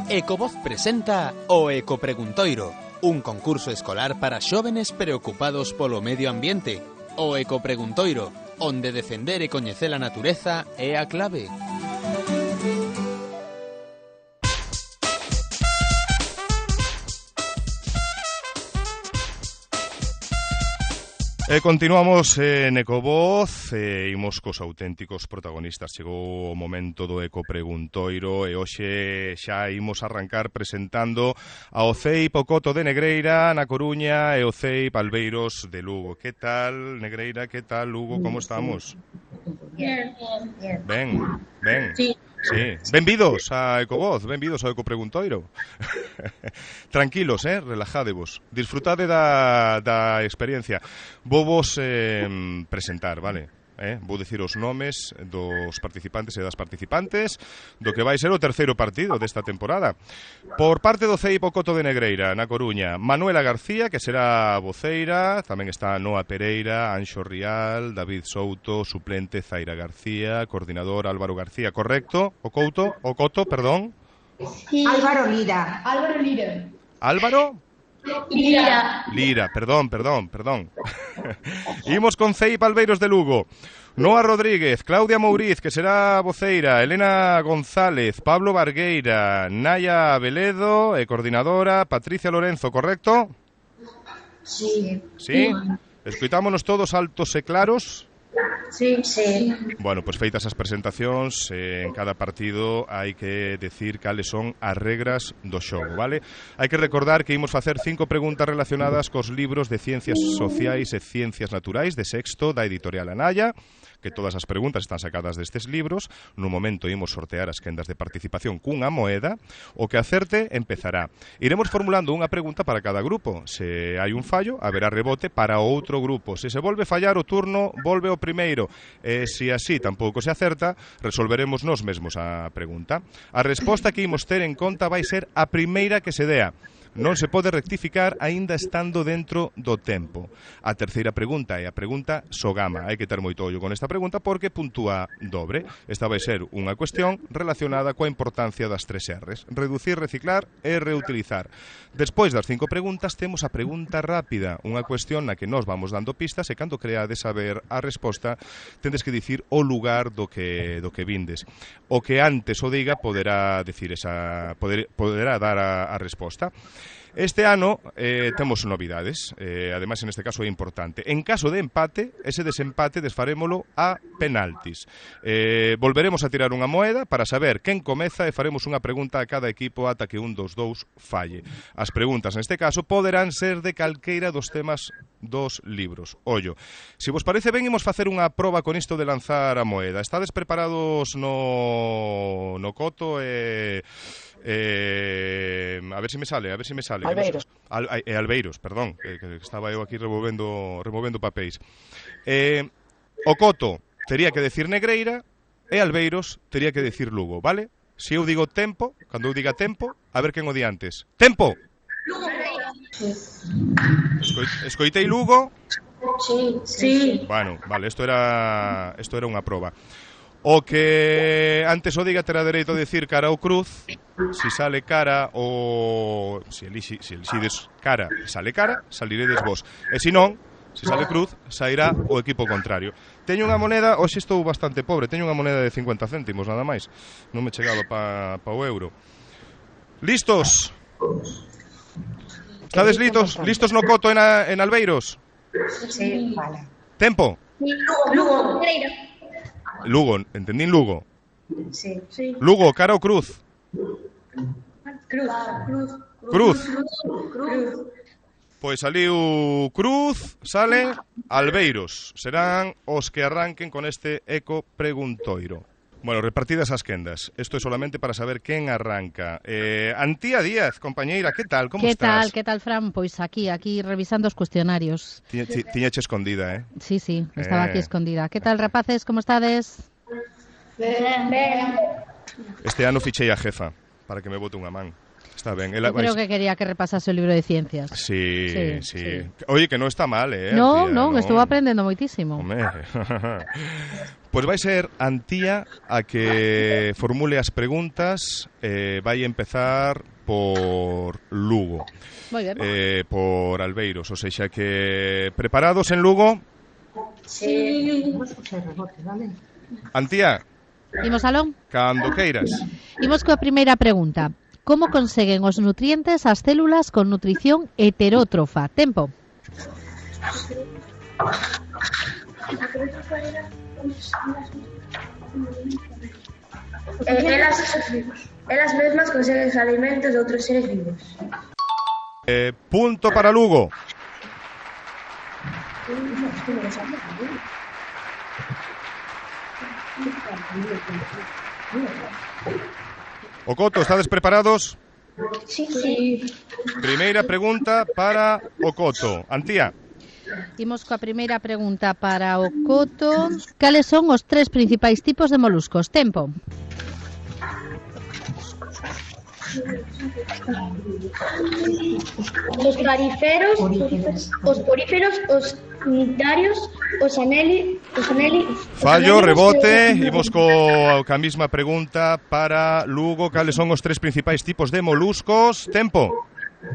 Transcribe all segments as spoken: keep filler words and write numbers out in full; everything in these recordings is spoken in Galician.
Ecovoz presenta o Ecopreguntoiro, un concurso escolar para xóvenes preocupados polo medio ambiente. O Ecopreguntoiro, onde defender e coñecer a natureza é a clave. E continuamos en Ecovoz, e imos cos auténticos protagonistas. Chegou o momento do Ecopreguntoiro e hoxe xa imos arrancar presentando ao C E I P Ocoto de Negreira, na Coruña, e o C E I P Albeiros de Lugo. Que tal, Negreira? Que tal, Lugo? Como estamos? Bien, bien, bien. Ben, ben. Sí. Sí, benvidos a Ecovoz, benvidos ao Ecopreguntoiro. Tranquilos, eh, relajadevos. Disfrutade da, da experiencia. Vou vos eh, presentar, vale? Eh? Vou dicir os nomes dos participantes e das participantes do que vai ser o terceiro partido desta temporada. Por parte do C E I P Ocoto de Negreira, na Coruña, Manuela García, que será voceira, tamén está Noa Pereira, Anxo Rial, David Souto, suplente Zaira García, coordinador Álvaro García, correcto? O Couto, o Coto, perdón. Sí. Álvaro Lira. Álvaro Lira. Álvaro Lira. Lira, perdón, perdón, perdón. Imos con C E I P Albeiros de Lugo. Noa Rodríguez, Claudia Mouriz, que será voceira, Elena González, Pablo Bargueira, Naya Veledo, e coordinadora, Patricia Lorenzo, correcto? Sí. Sí? Escoitámonos todos altos e claros? Sí, sí. Bueno, pois feitas as presentacións, eh, en cada partido hai que decir cales son as regras do xogo, vale? Hai que recordar que imos facer cinco preguntas relacionadas cos libros de Ciencias Sociais e Ciencias Naturais de sexto da editorial Anaya, que todas as preguntas están sacadas destes libros. No momento imos sortear as quendas de participación cunha moeda. O que acerte empezará. Iremos formulando unha pregunta para cada grupo. Se hai un fallo, haberá rebote para o outro grupo. Se se volve fallar o turno, volve o primeiro. E se así tampouco se acerta, resolveremos nós mesmos a pregunta. A resposta que imos ter en conta vai ser a primeira que se dea. Non se pode rectificar aínda estando dentro do tempo. A terceira pregunta é a pregunta Sogama. Hai que ter moito ollo con esta pregunta porque puntúa dobre. Esta vai ser unha cuestión relacionada coa importancia das tres R's. Reducir, reciclar e reutilizar. Despois das cinco preguntas temos a pregunta rápida, unha cuestión na que nós vamos dando pistas e cando creades saber a resposta tendes que dicir o lugar do que do que vindes. O que antes o diga poderá decir esa poder, poderá dar a, a resposta. Este ano eh, temos novidades, eh, ademais en este caso é importante. En caso de empate, ese desempate desfarémolo a penaltis. Eh, volveremos a tirar unha moeda para saber quen comeza e faremos unha pregunta a cada equipo ata que un dos dous falle. As preguntas neste caso poderán ser de calqueira dos temas dos libros. Ollo, se vos parece ben, imos facer unha proba con isto de lanzar a moeda. Estades preparados no, no coto e... Eh, a ver se si me sale, a ver se si me sale. Albeiros. Al, eh, Albeiros, perdón, que, que estaba eu aquí removendo, removendo papéis. Eh, o Coto tería que decir Negreira e Albeiros tería que decir Lugo, vale? Se eu digo tempo, cando eu diga tempo, a ver quen o di antes. Tempo! Lugo. Escoit, escoitei Lugo? Sí, sí. Bueno, vale, isto era, isto era unha proba. O que antes o diga terá dereito a decir cara ou cruz. Si sale cara ou... Si elixi, si elixides cara e sale cara, saliredes vos. E se non, se sale cruz, sairá o equipo contrario. Teño unha moneda, hoxe estou bastante pobre, teño unha moneda de cincuenta céntimos, nada máis. Non me chegaba pa, pa o euro. Listos? Estades listos? Listos no Coto en, a, en Albeiros? Sí, vale. Tempo? Lugo, Lugo. Negreira. Lugo, entendín Lugo. Sí. Sí. Lugo, cara ou cruz? Cruz. Cruz. Cruz. Cruz. Cruz. Pois saliu cruz, sale Albeiros. Serán os que arranquen con este Ecopreguntoiro. Bueno, repartidas as quendas. Isto é solamente para saber quen arranca. Eh, Antía Díaz, compañeira, que tal? Como que estás? tal, que tal, Fran? Pois aquí, aquí revisando os cuestionarios. Tiña, ti, tiñache escondida, eh? Sí, sí, estaba Eh. aquí escondida. Que tal, rapaces, como estades? Ben, ben. Este ano fichei a jefa para que me bote unha man. Está ben. Ela Yo creo vais... que quería que repasase o libro de ciencias. Sí, sí, Sí, sí. sí. Oye, que non está mal, eh? No, Antía, non, estuvo aprendendo moitísimo. Home. Pois vai ser Antía a que formule as preguntas. eh, Vai empezar por Lugo. Moi ben. eh, Por Albeiros. O sexa que preparados en Lugo. Sí. Vamos a hacer rebote, ¿vale? Antía, Imos aló? cando queiras. Imos coa primeira pregunta. Como conseguen os nutrientes as células con nutrición heterótrofa? Tempo. Eh, elas, elas mesmas conseguen os alimentos de outros seres vivos. eh, Punto para Lugo. Ocoto, estades preparados? Sí, sí. Primeira pregunta para Ocoto. Antía. Imos coa primeira pregunta para o Coto. Cales son os tres principais tipos de moluscos? Tempo. Os clariferos, os poríferos, os unitarios, os aneli, os aneli, Fallo, os anelios rebote. e- Imos co, ca mesma pregunta para Lugo. Cales son os tres principais tipos de moluscos? Tempo.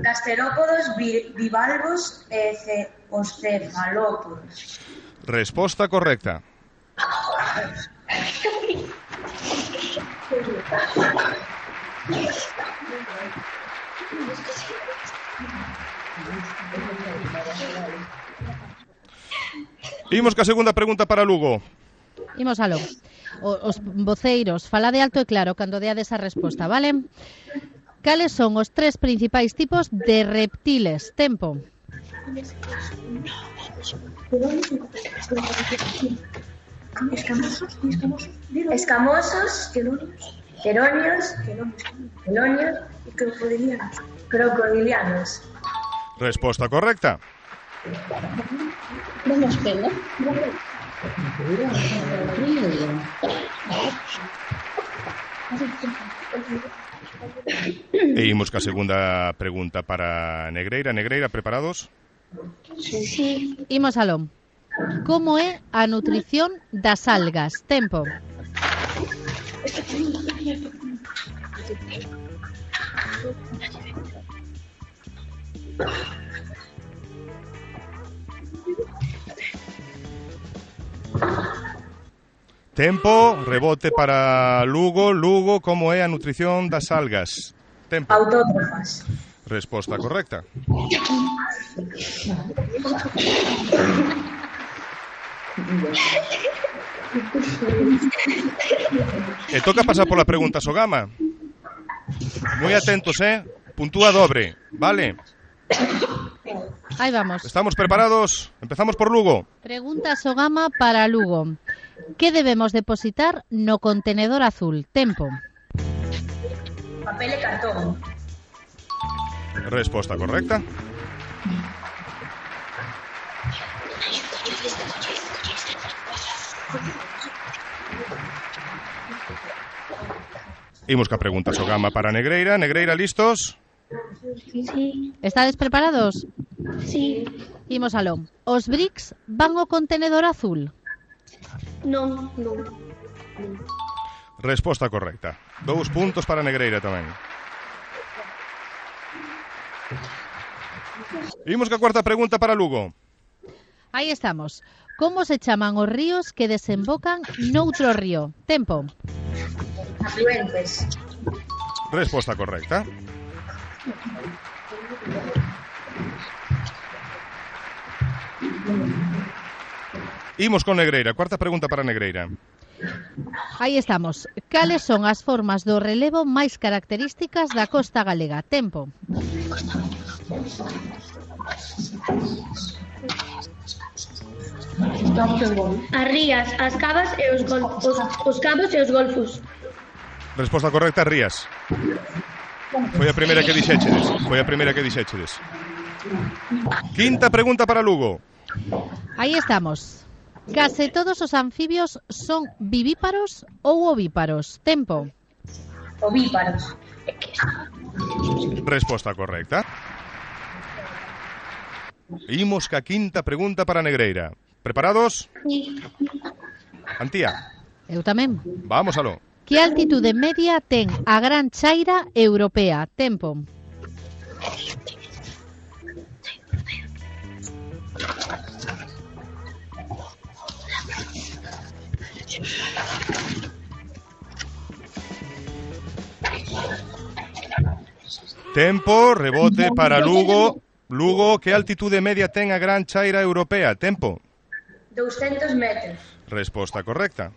Gasterópodos, bi- bivalvos e ce, os cefalópodos. Resposta correcta. Imos ca segunda pregunta para Lugo. Imos aló. O- Os voceiros, falade alto e claro cando deades a resposta, vale? Cales son os tres principais tipos de reptiles? Tempo. Escamosos, escamosos, escamosos, queronios, quelonios e crocodilianos. Crocodilianos. Resposta correcta. Vamos pelo. E imos ca segunda pregunta para Negreira. Negreira, preparados? Sí. Imos aló. Como é a nutrición das algas? Tempo. Tempo, rebote para Lugo. Lugo, como é a nutrición das algas? Tempo. Autótrofas. Resposta correcta. E toca pasar pola pregunta Sogama. Moi atentos, eh? Puntúa dobre, vale? Aí vamos. Estamos preparados? Empezamos por Lugo. Pregunta Sogama para Lugo. Que debemos depositar no contenedor azul? Tempo. Papel e cartón. Resposta correcta. Imos ca pregunta Sogama para Negreira. Negreira, listos? Sí. Estades preparados? Sí. Imos aló. Os bricks van ao contenedor azul? Non, non. Resposta correcta. Dous puntos para Negreira tamén. Imos ca cuarta pregunta para Lugo. Aí estamos. Como se chaman os ríos que desembocan noutro río? Tempo. Afluentes. Resposta correcta. Imos con Negreira. Cuarta pregunta para Negreira. Aí estamos. Cales son as formas do relevo máis características da costa galega? Tempo. As rías, as cavas e os, gol, os, os cabos e os golfos. Resposta correcta, Rías. Foi a primeira que dixéchedes. Foi a primeira que dixéchedes. Quinta pregunta para Lugo. Aí estamos. Case todos os anfibios son vivíparos ou ovíparos? Tempo. Ovíparos. Resposta correcta. Imos ca quinta pregunta para Negreira. Preparados? Sí. Antía. Eu tamén. Vamos aló. Que altitude media ten a Gran Chaira Europea? Tempo. Tempo, rebote para Lugo. Lugo, que altitude media ten a Gran Chaira Europea? Tempo. doscientos metros. Resposta correcta.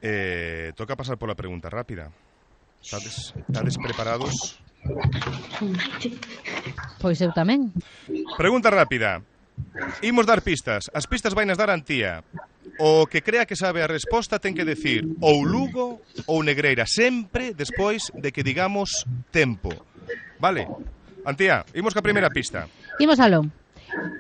Eh, toca pasar por la pregunta rápida. ¿Estades, estades preparados? Pois eu tamén. Pregunta rápida. Imos dar pistas. As pistas vainas dar Antía. O que crea que sabe a resposta ten que decir ou Lugo ou Negreira, sempre despois de que digamos tempo. Vale? Antía, imos ca primeira pista. Imos aló.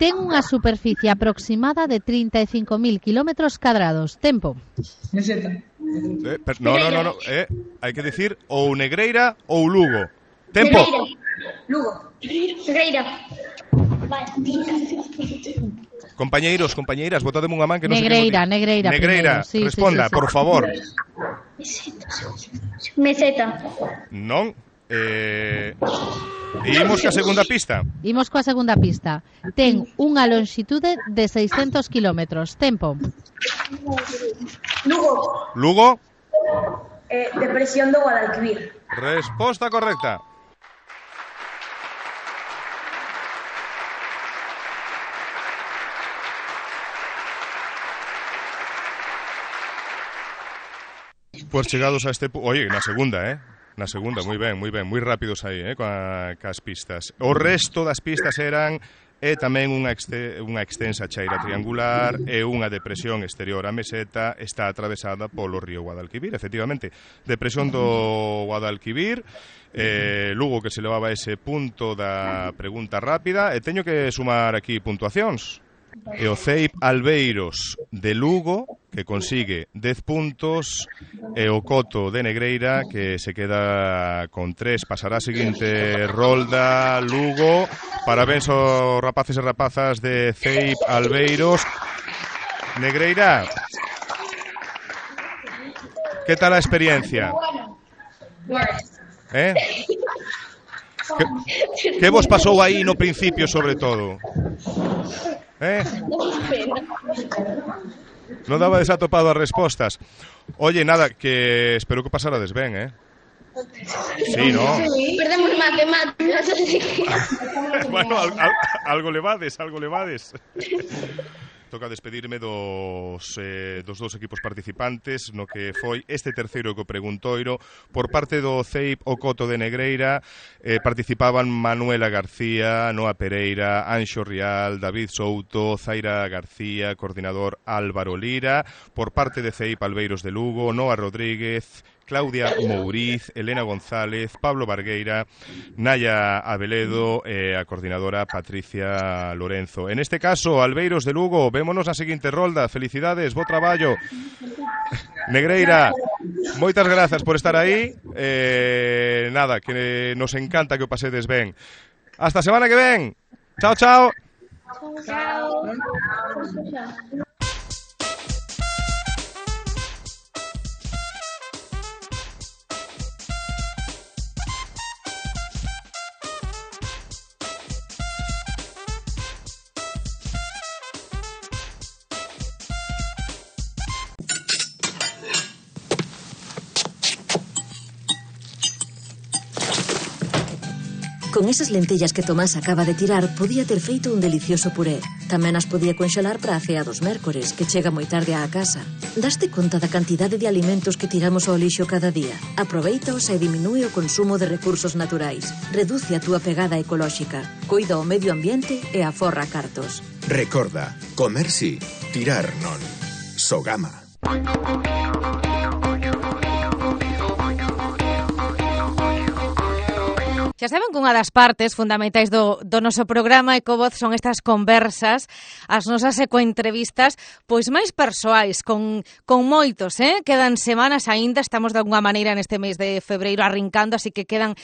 Ten unha superficie aproximada de trinta e cinco mil kilómetros cadrados. Tempo. Eh, per, no, no, no, no. Eh, hai que decir ou Negreira ou Lugo. Tempo. Negreira. Lugo. Negreira. Compañeiros, compañeiras, botademe unha man que non Negreira, sei Negreira, Negreira, primeiro, sí, responda, sí, sí, sí. por favor. Meseta. Non. Eh, imos ca segunda pista. Imos coa segunda pista. Ten unha longitude de seiscentos kilómetros. Tempo. Lugo. Lugo. Eh, depresión do Guadalquivir. Resposta correcta. Pues chegados a este... Oye, na segunda, eh? Na segunda, moi ben, moi ben, moi rápidos aí, eh, coa, cas pistas. O resto das pistas eran e tamén unha, exte, unha extensa chaira triangular e unha depresión exterior. A meseta está atravesada polo río Guadalquivir, efectivamente. Depresión do Guadalquivir, eh, Lugo que se levaba ese punto da pregunta rápida, e teño que sumar aquí puntuacións. E o C E I P Albeiros de Lugo, que consigue dez puntos, e o Coto de Negreira, que se queda con tres. Pasará a seguinte rolda Lugo. Parabéns aos rapaces e rapazas de C E I P Albeiros. Negreira, que tal a experiencia? Eh? Que, que vos pasou aí no principio, sobre todo? Eh? Non daba desatopado as respostas. Oye, nada, que espero que pasarades ben, eh? Sí, ¿no? Perdemos matemáticas. Bueno, al, al, algo levades, algo levades. Toca despedirme dos, eh, dos dos equipos participantes no que foi este terceiro eco preguntoiro. Por parte do C E I P o Coto de Negreira eh, participaban Manuela García, Noa Pereira, Anxo Rial, David Souto, Zaira García, coordinador Álvaro Lira. Por parte de C E I P Albeiros de Lugo, Noa Rodríguez, Claudia Mouriz, Elena González, Pablo Bargueira, Naya Abeledo e a coordinadora Patricia Lorenzo. En este caso, Albeiros de Lugo, vémonos na seguinte rolda. Felicidades, bo traballo. Negreira, moitas grazas por estar aí. Eh, nada, que nos encanta que o pasedes ben. Hasta a semana que ven. Chao, chao. Chao. Con esas lentellas que Tomás acaba de tirar, podía ter feito un delicioso puré. Tamén as podía conxelar para a cea dos mércores, que chega moi tarde á casa. Daste conta da cantidade de alimentos que tiramos ao lixo cada día? Aproveitaos e diminúe o consumo de recursos naturais. Reduce a túa pegada ecolóxica. Cuida o medio ambiente e aforra cartos. Recorda, comer sí, tirar non. Sogama. Xa saben que unha das partes fundamentais do, do noso programa Ecovoz son estas conversas, as nosas ecoentrevistas, pois máis persoais, con, con moitos, eh? Quedan semanas aínda, estamos de alguna maneira neste mes de febreiro arrincando, así que quedan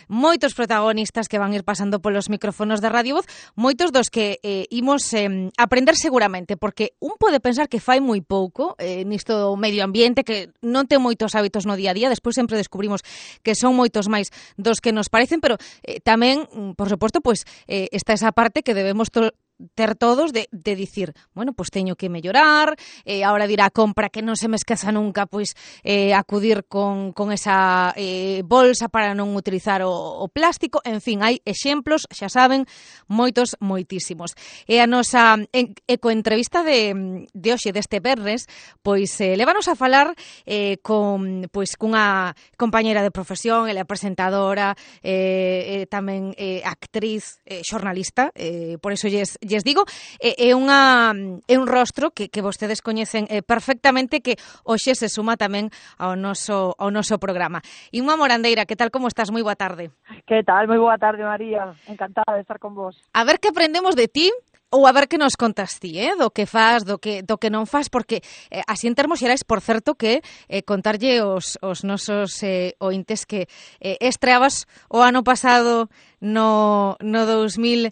moitos protagonistas que van ir pasando polos micrófonos da Radio Voz, moitos dos que eh, imos eh, aprender seguramente, porque un pode pensar que fai moi pouco eh, nisto do medio ambiente, que non ten moitos hábitos no día a día, despois sempre descubrimos que son moitos máis dos que nos parecen, pero eh, tamén, por suposto, pues, eh, está esa parte que debemos to- ter todos de, de dicir, bueno, pois pues teño que mellorar, eh, ahora dirá a compra que non se me esqueza nunca, pois eh, acudir con, con esa eh, bolsa para non utilizar o, o plástico, en fin, hai exemplos, xa saben, moitos, moitísimos. E a nosa en, ecoentrevista de, de hoxe, deste verres, pois eh, levanos a falar eh, con, pois, cunha compañera de profesión, ela é presentadora, eh, eh, tamén eh, actriz, eh, xornalista, eh, por iso lles lles digo, é, é, unha, é un rostro que, que vostedes coñecen eh, perfectamente, que hoxe se suma tamén ao noso, ao noso programa. Inma Morandeira, que tal, como estás? Moi boa tarde. Que tal? Moi boa tarde, María. Encantada de estar con vos. A ver que aprendemos de ti, ou a ver que nos contas ti, eh? do que faz, do que, do que non faz, porque eh, así en termos xerais, por certo, que eh, contarlle os, os nosos eh, ointes que eh, estreabas o ano pasado no, no dous mil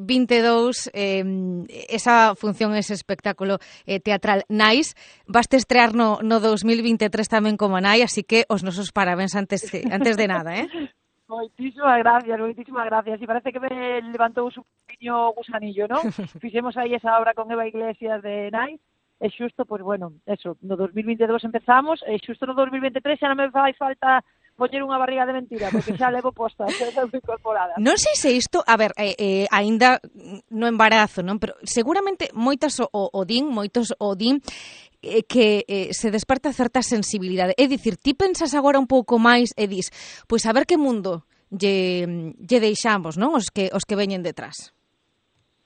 vinte e dous eh, esa función, ese espectáculo eh, teatral Nais. Vaste estrear no, no dous mil vinte e tres tamén como Nai, así que os nosos parabéns antes, antes de nada, eh? Moitísimas gracias, moitísimas gracias. E parece que me levantou un pequeño gusanillo, ¿no? Fixemos aí esa obra con Eva Iglesias de Nais, e xusto, pois, bueno, eso, no dous mil vinte e dous empezamos, e xusto no dous mil vinte e tres xa non me fai falta poñer unha barriga de mentira, porque xa levo posta, xa levo incorporada. Non sei se isto, a ver, eh, eh, aínda no embarazo, non? Pero seguramente moitas o, o din, moitos o din, eh, que eh, se desperta certa sensibilidade. É dicir, ti pensas agora un pouco máis e dis, pois a ver que mundo lle, lle deixamos, non? Os que, os que veñen detrás.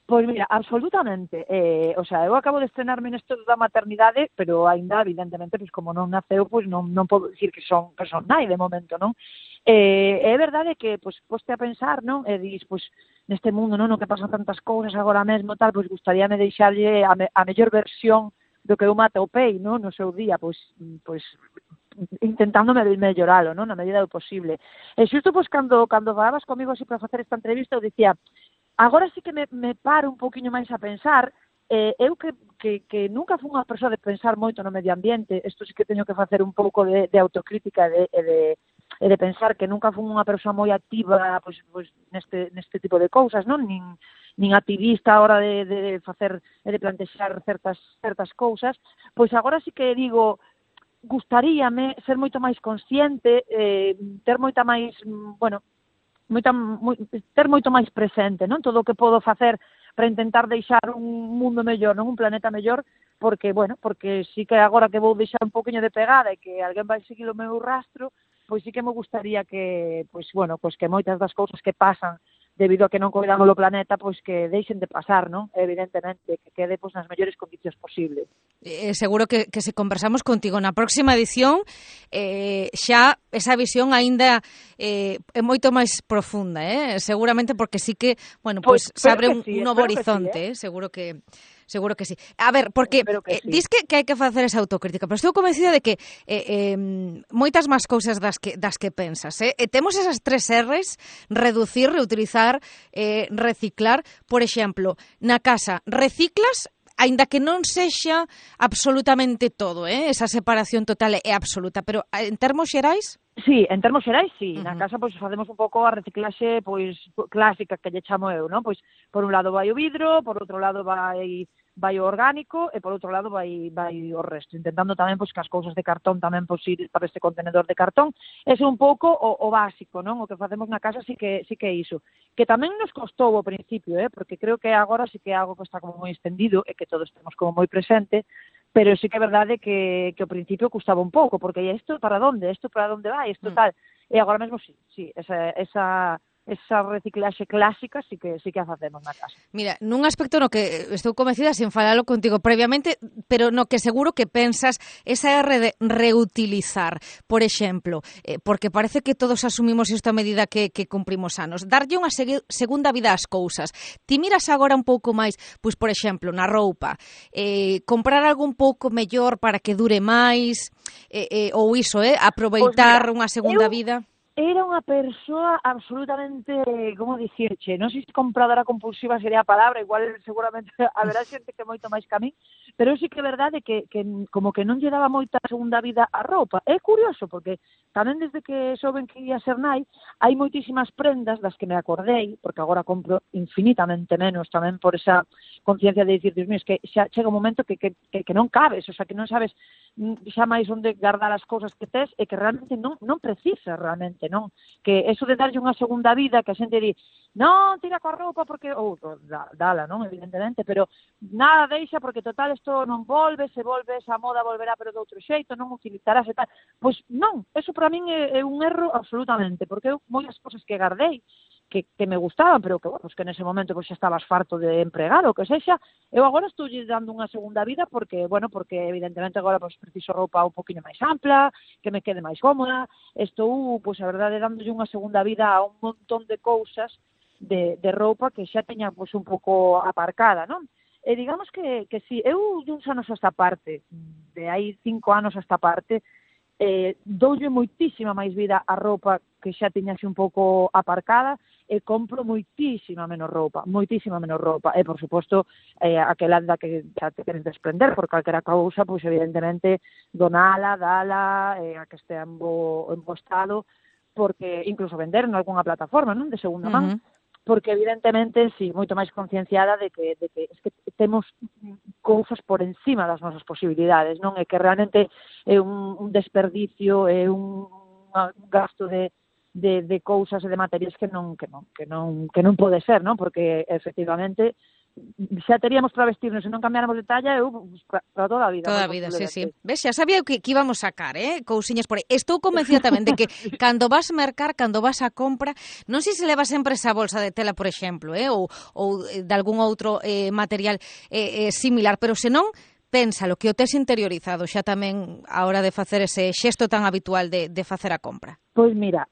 Pois mira, absolutamente. Eh, o sea, eu acabo de estrenarme nesto da maternidade, pero aínda, evidentemente, pois como non naceu, pois non, non podo dicir que son, que son nai de momento, non? Eh, é verdade que, pois, poste a pensar, non? E dis, pois, neste mundo, non? No que pasan tantas cousas agora mesmo, tal, pois gustaríame deixarlle a, me, a mellor versión do que eu matopei, non? No seu día, pois, pois intentando melloralo, non? Na medida do posible. E xusto, pois, cando, cando falabas comigo así para facer esta entrevista, eu dicía, agora sí que me, me paro un poquinho máis a pensar, eh, eu que, que, que nunca fui unha persoa de pensar moito no medio ambiente, isto sí que teño que facer un pouco de, de autocrítica e de, de, de pensar que nunca fui unha persoa moi activa pois, pois, neste, neste tipo de cousas, non? Nin, nin activista a hora de, de facer e de plantexar certas, certas cousas, pois agora sí que digo, gustaríame ser moito máis consciente, eh, ter moita máis, bueno, moita, moi, ter moito máis presente, non? Todo o que podo facer para intentar deixar un mundo mellor, non? Un planeta mellor, porque, bueno, porque sí que agora que vou deixar un poquinho de pegada e que alguén vai seguir o meu rastro, pois sí que me gustaría que, pois, bueno, pois que moitas das cousas que pasan debido a que non coidamos o planeta, pois que deixen de pasar, non? Evidentemente, que quede pois nas mellores condicións posibles. Eh, seguro que, que se conversamos contigo na próxima edición, eh, xa esa visión aínda eh, é moito máis profunda, eh? Seguramente porque sí que, bueno, pois pues, se abre un, sí, un novo horizonte, sí, eh? eh? Seguro que seguro que sí. A ver, porque que eh, sí. dis que, que hai que facer esa autocrítica, pero estou convencida de que eh, eh, moitas máis cousas das que, das que pensas. Eh? E temos esas tres R's, reducir, reutilizar, eh, reciclar. Por exemplo, na casa, reciclas, aínda que non sexa absolutamente todo, eh? Esa separación total é absoluta, pero en termos xerais? Sí, en termos xerais, sí. Uh-huh. Na casa, pois, facemos un pouco a reciclaxe, pois, clásica que lle chamo eu, non? Pois, por un lado vai o vidro, por outro lado vai vai o orgánico e por outro lado vai vai o resto, intentando tamén pois que as cousas de cartón tamén pois ir para este contenedor de cartón. Ese é un pouco o, o básico, non? O que facemos na casa sí que sí que é iso. Que tamén nos costou ao principio, eh, porque creo que agora sí que é algo que está como moi extendido e que todos temos como moi presente, pero sí que é verdade que que ao principio custaba un pouco, porque isto para onde? Isto para onde vai? Isto mm. tal. E agora mesmo sí, sí, esa esa esa reciclaxe clásica sí que sí que a facemos na casa. Mira, nun aspecto no que estou convencida sin falalo contigo previamente, pero no que seguro que pensas esa R de reutilizar, por exemplo, eh, porque parece que todos asumimos isto a medida que, que cumprimos anos, darlle unha seg- segunda vida ás cousas. Ti miras agora un pouco máis, pois por exemplo, na roupa, eh, comprar algo un pouco mellor para que dure máis, eh, eh, ou iso, eh, aproveitar pues mira, unha segunda eu... vida. era unha persoa absolutamente, como dicirche, non sei se compradora compulsiva sería a palabra, igual seguramente haberá xente que moito máis que a mí, pero sí que é verdade que, que como que non lle daba moita segunda vida a roupa. É curioso, porque tamén desde que souben que ia ser nai, hai moitísimas prendas das que me acordei, porque agora compro infinitamente menos, tamén por esa conciencia de dicir, Dios mío, es que xa chega un momento que, que, que, que non cabes, o sea, que non sabes xa máis onde guardar as cousas que tes e que realmente non, non precisas realmente, non? Que eso de darlle unha segunda vida, que a xente di, non, tira coa roupa porque, ou, oh, dala, non, evidentemente, pero nada deixa porque total isto non volve, se volve esa moda volverá pero de outro xeito, non utilizarás e tal. Pois non, eso para min é, é un erro absolutamente, porque eu moitas cosas que guardei, que, que me gustaban, pero que, bueno, pues que nese momento pues, xa estabas farto de empregar, o que sexa, eu agora estou dando unha segunda vida porque, bueno, porque evidentemente agora pues, preciso roupa un poquinho máis ampla, que me quede máis cómoda, estou, pues, a verdade, dándolle unha segunda vida a un montón de cousas de, de roupa que xa teña pues, un pouco aparcada, non? E digamos que, que si, eu de uns anos a esta parte, de hai cinco anos a esta parte, eh, doulle moitísima máis vida a roupa que xa tiña así un pouco aparcada, e compro moitísima menos roupa, moitísima menos roupa, e por suposto eh, aquela da que xa te queres desprender por calquera cousa, pois evidentemente donala, dala, eh, a que estea en bo, en bo estado, porque incluso vender en algunha plataforma, non, de segunda man, uh-huh. Porque evidentemente, si, sí, moito máis concienciada de que, de que, es que temos cousas por encima das nosas posibilidades, non é que realmente é un, un desperdicio, é un, un gasto de de, de cousas e de materiais que non que non que non que non pode ser, non? Porque efectivamente xa teríamos para vestirnos e non cambiáramos de talla eu para, para toda a vida. Toda a vida, sí, sí. Ves, xa sabía que, que íbamos sacar, eh? Cousiñas por aí. Estou convencida tamén de que cando vas mercar, cando vas a compra, non sei se levas sempre esa bolsa de tela, por exemplo, eh? ou, ou de algún outro eh, material eh, eh, similar, pero senón pénsalo, que o tes interiorizado xa tamén a hora de facer ese xesto tan habitual de, de facer a compra. Pois mira,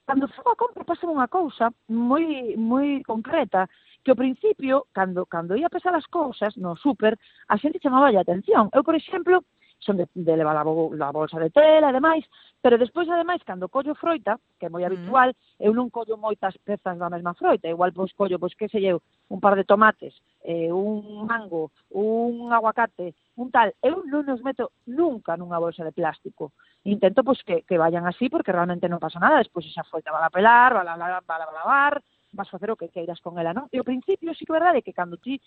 cando fago a compra pasa unha cousa moi moi concreta, que ao principio, cando cando ia pesar as cousas no súper, a xente chamaba a atención. Eu, por exemplo, son de, de levar a, a bolsa de tela e demais, pero despois, ademais, cando collo froita, que é moi habitual, mm. eu non collo moitas pezas da mesma froita, igual pois collo, pois que sei eu, un par de tomates, eh, un mango, un aguacate, un tal, eu non os meto nunca nunha bolsa de plástico. Intento pois que, que vayan así porque realmente non pasa nada, despois esa froita va a pelar, va a, va a lavar, vas facer o que queiras con ela, non? E ao principio sí que é verdade que cando ti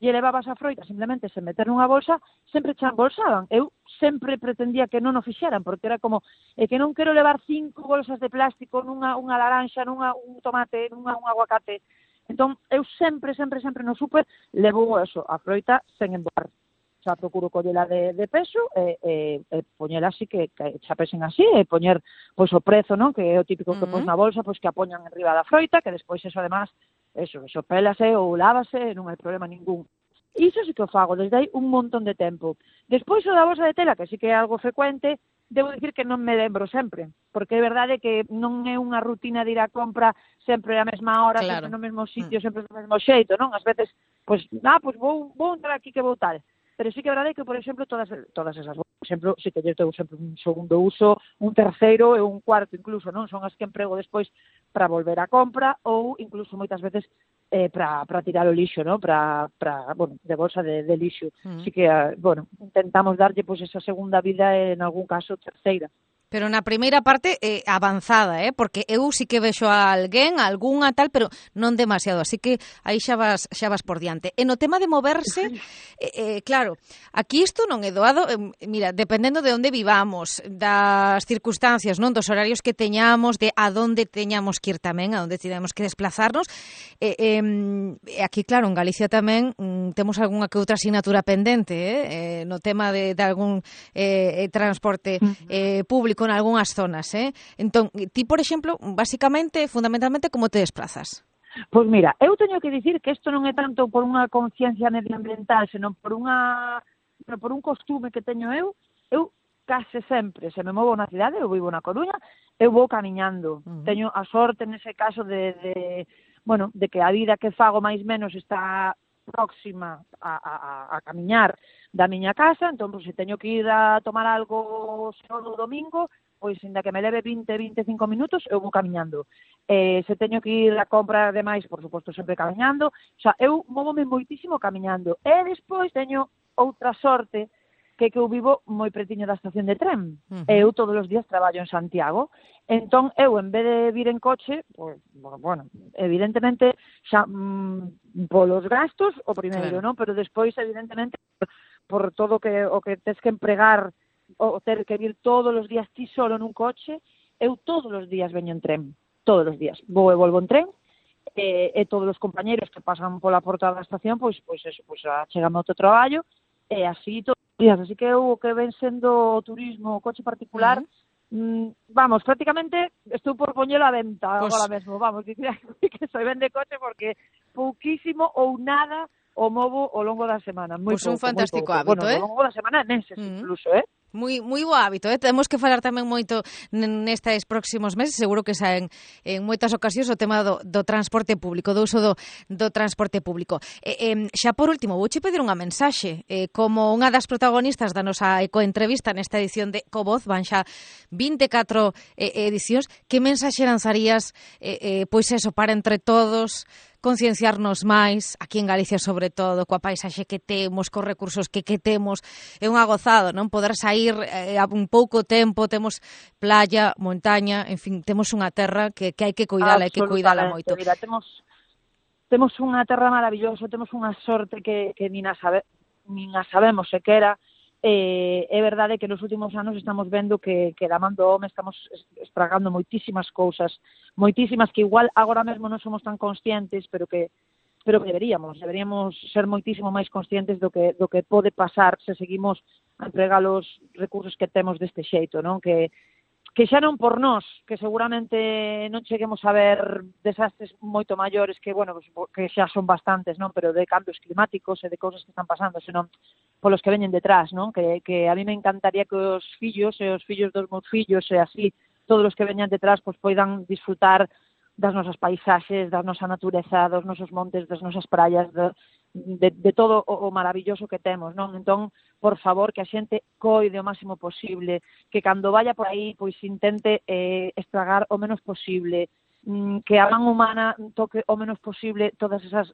lle levabas a froita simplemente sen meter nunha bolsa, sempre che embolsaban. Eu sempre pretendía que non o fixeran, porque era como, é que non quero levar cinco bolsas de plástico nunha unha laranxa, nunha un tomate, nunha un aguacate. Entón, eu sempre, sempre, sempre no súper levo eso, a froita sen embolar. Xa procuro collela de, de peso e, e, e poñela así que, que xa pesen así e poñer pois o prezo, non? Que é o típico que uh-huh. pos na bolsa, pois que a poñan enriba da froita, que despois eso además, eso, eso pélase ou lávase, non hai problema ningún. Iso sí que o fago desde aí un montón de tempo. Despois o da bolsa de tela, que sí que é algo frecuente, debo dicir que non me lembro sempre, porque é verdade que non é unha rutina de ir a compra sempre a mesma hora, claro. Sempre no mesmo sitio, mm. sempre no mesmo xeito, non? Ás veces, pois, ah, pois vou, vou entrar aquí que vou tal. Pero sí que é verdade que, por exemplo, todas todas esas, por exemplo, sí que eu tengo sempre un segundo uso, un terceiro e un cuarto incluso, non? Son as que emprego despois para volver a compra ou incluso moitas veces eh, para para tirar o lixo, non? Para, para, bueno, de bolsa de, de lixo. Mm. Así que, uh, bueno, intentamos darlle pois esa segunda vida e, en algún caso, terceira. Pero na primeira parte eh, avanzada, eh? Porque eu sí que vexo a alguén, a algunha tal, pero non demasiado, así que aí xa vas, xa vas por diante. E no tema de moverse, eh, eh, claro, aquí isto non é doado, eh, mira, dependendo de onde vivamos, das circunstancias, non, dos horarios que teñamos, de a donde teñamos que ir tamén, a onde teñamos que desplazarnos, eh, eh, aquí, claro, en Galicia tamén mm, temos algunha que outra asignatura pendente, eh? Eh, no tema de, de algún eh, transporte eh, público, con algunhas zonas, eh? Entón, ti, por exemplo, basicamente, fundamentalmente, como te desplazas? Pois mira, eu teño que dicir que isto non é tanto por unha conciencia medioambiental, senón por unha por un costume que teño eu, eu case sempre, se me movo na cidade, eu vivo na Coruña, eu vou camiñando. Uh-huh. Teño a sorte nese caso de, de, bueno, de que a vida que fago máis menos está próxima a, a, a camiñar da miña casa, entón, pues, se teño que ir a tomar algo sábado ou domingo, pois, ainda que me leve vinte, vinte e cinco minutos, eu vou camiñando. Eh, se teño que ir a compra demais, por suposto, sempre camiñando. O sea, eu móvome moitísimo camiñando. E despois teño outra sorte, que que eu vivo moi pretiño da estación de tren. Uh-huh. Eu todos os días traballo en Santiago. Entón, eu, en vez de vir en coche, pues, bueno, evidentemente, xa, mm, polos gastos, o primeiro, claro, non? Pero despois, evidentemente, por todo que, o que tes que empregar, o ter que vir todos os días ti solo nun coche, eu todos os días veño en tren. Todos os días. Vou e volvo en tren, e, e todos os compañeros que pasan pola porta da estación, pois, pois eso, pois, chegame ao teu traballo, e así todos os días. Así que eu, que ven sendo o turismo, o coche particular, uh-huh. mm, vamos, prácticamente estou por poñelo a venta pues... agora mesmo, vamos, que, que soy vende coche porque pouquísimo ou nada o movo ao longo da semana. Moi pois pues un fantástico hábito, bueno, eh? Ao longo da semana, neses uh-huh. incluso, eh? Moi, moi bo hábito, eh? Temos que falar tamén moito nestes próximos meses, seguro que saen en moitas ocasións o tema do, do transporte público, do uso do, do transporte público. Eh, eh, xa por último, vouche pedir unha mensaxe, eh, como unha das protagonistas da nosa ecoentrevista nesta edición de Ecovoz, van xa vinte e catro eh, edicións, que mensaxe lanzarías, eh, eh, pois eso, para entre todos concienciarnos máis, aquí en Galicia sobre todo, coa paisaxe que temos, cos recursos que, que temos, é unha gozada, non? Poder sair eh, a un pouco tempo, temos playa, montaña, en fin, temos unha terra que, que hai que cuidala, hai que cuidala moito. Mira, temos, temos unha terra maravillosa, temos unha sorte que, que nin a, sabe, nin a sabemos sequera. Eh, é verdade que nos últimos anos estamos vendo que, que da man do home estamos estragando moitísimas cousas, moitísimas que igual agora mesmo non somos tan conscientes, pero que pero que deberíamos, deberíamos ser moitísimo máis conscientes do que do que pode pasar se seguimos a empregar os recursos que temos deste xeito, non? Que que xa non por nós, que seguramente non cheguemos a ver desastres moito maiores que, bueno, que xa son bastantes, non? Pero de cambios climáticos e de cousas que están pasando, senón polos que veñen detrás, non? Que, que a mí me encantaría que os fillos e os fillos dos meus fillos e así, todos os que veñan detrás, pois poidan disfrutar das nosas paisaxes, da nosa natureza, dos nosos montes, das nosas praias, de, de, de todo o, o maravilloso que temos, non? Entón, por favor, que a xente coide o máximo posible, que cando vaya por aí, pois intente eh, estragar o menos posible, mm, que a man humana toque o menos posible todas esas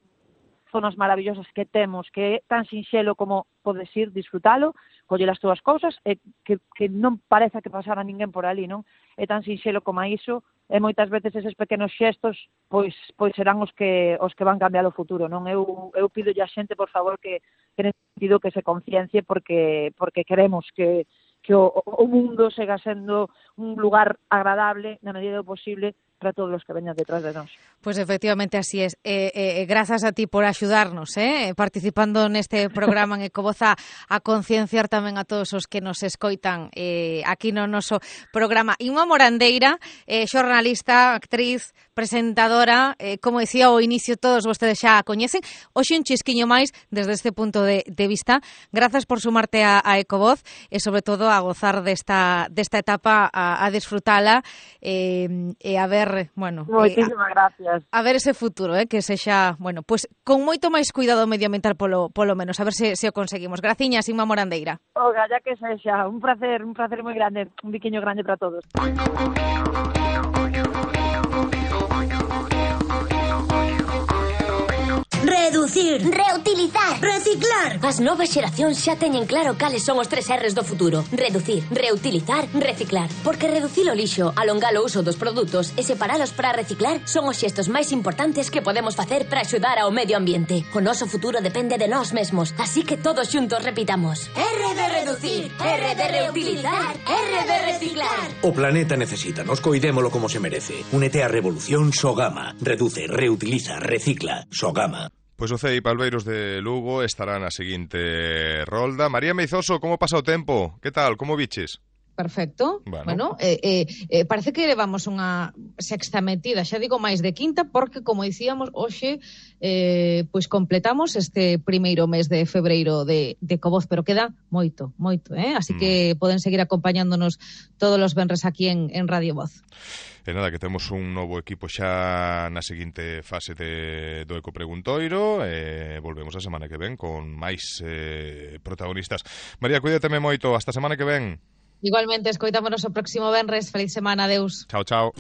zonas maravillosas que temos, que é tan sinxelo como podes ir, disfrutalo, coller as túas cousas, e que, que non pareza que pasara ninguén por ali, non? É tan sinxelo como iso, e moitas veces eses pequenos xestos pois pois serán os que os que van cambiar o futuro, non? Eu eu pidolle a xente, por favor, que que nesse sentido que se conciencie porque porque queremos que que o, o mundo siga sendo un lugar agradable na medida do posible para todos os que veñan detrás de nós. Pois pues efectivamente así es. Eh, eh, grazas a ti por axudarnos, eh, participando neste programa en Ecovoz a, a concienciar tamén a todos os que nos escoitan eh, aquí no noso programa. Inma Morandeira, eh, xornalista, actriz, presentadora, eh, como decía ao inicio, todos vostedes xa a coñecen. Hoxe un chisquiño máis desde este punto de, de vista. Grazas por sumarte a, a Ecovoz e sobre todo a gozar desta, desta etapa, a, a disfrutala eh, e a ver bueno, moitísimas eh, gracias. A ver ese futuro, eh, que sexa, bueno, pues con moito máis cuidado medioambiental polo polo menos, a ver se se o conseguimos. Graciñas, Inma Morandeira. Oga, ya que sexa, un placer, un placer moi grande, un biquiño grande para todos. Reducir, reutilizar, reciclar. As novas xeracións xa teñen claro cales son os tres R's do futuro. Reducir, reutilizar, reciclar. Porque reducir o lixo, alongar o uso dos produtos e separalos para reciclar son os xestos máis importantes que podemos facer para axudar ao medio ambiente. O noso futuro depende de nós mesmos, así que todos xuntos repitamos. R de reducir, R de reutilizar, R de reciclar. O planeta necesita, nos coidémolo como se merece. Únete á revolución Sogama. Reduce, reutiliza, recicla. Sogama. Pois o C E I Palbeiros de Lugo estará na seguinte rolda. María Meizoso, como pasa o tempo? Que tal, como viches? Perfecto. Bueno, bueno eh, eh, eh, parece que levamos unha sexta metida, xa digo máis de quinta, porque, como dicíamos, hoxe eh, pois completamos este primeiro mes de febreiro de, de Ecovoz, pero queda moito, moito, eh? Así mm. que poden seguir acompañándonos todos os venres aquí en, en Radio Voz. E nada, que temos un novo equipo xa na seguinte fase de, do Ecopreguntoiro e volvemos a semana que ven con máis eh, protagonistas. María, cuídateme moito, hasta a semana que ven. Igualmente, escoitámonos o próximo venres. Feliz semana, adeus. Chao, chao.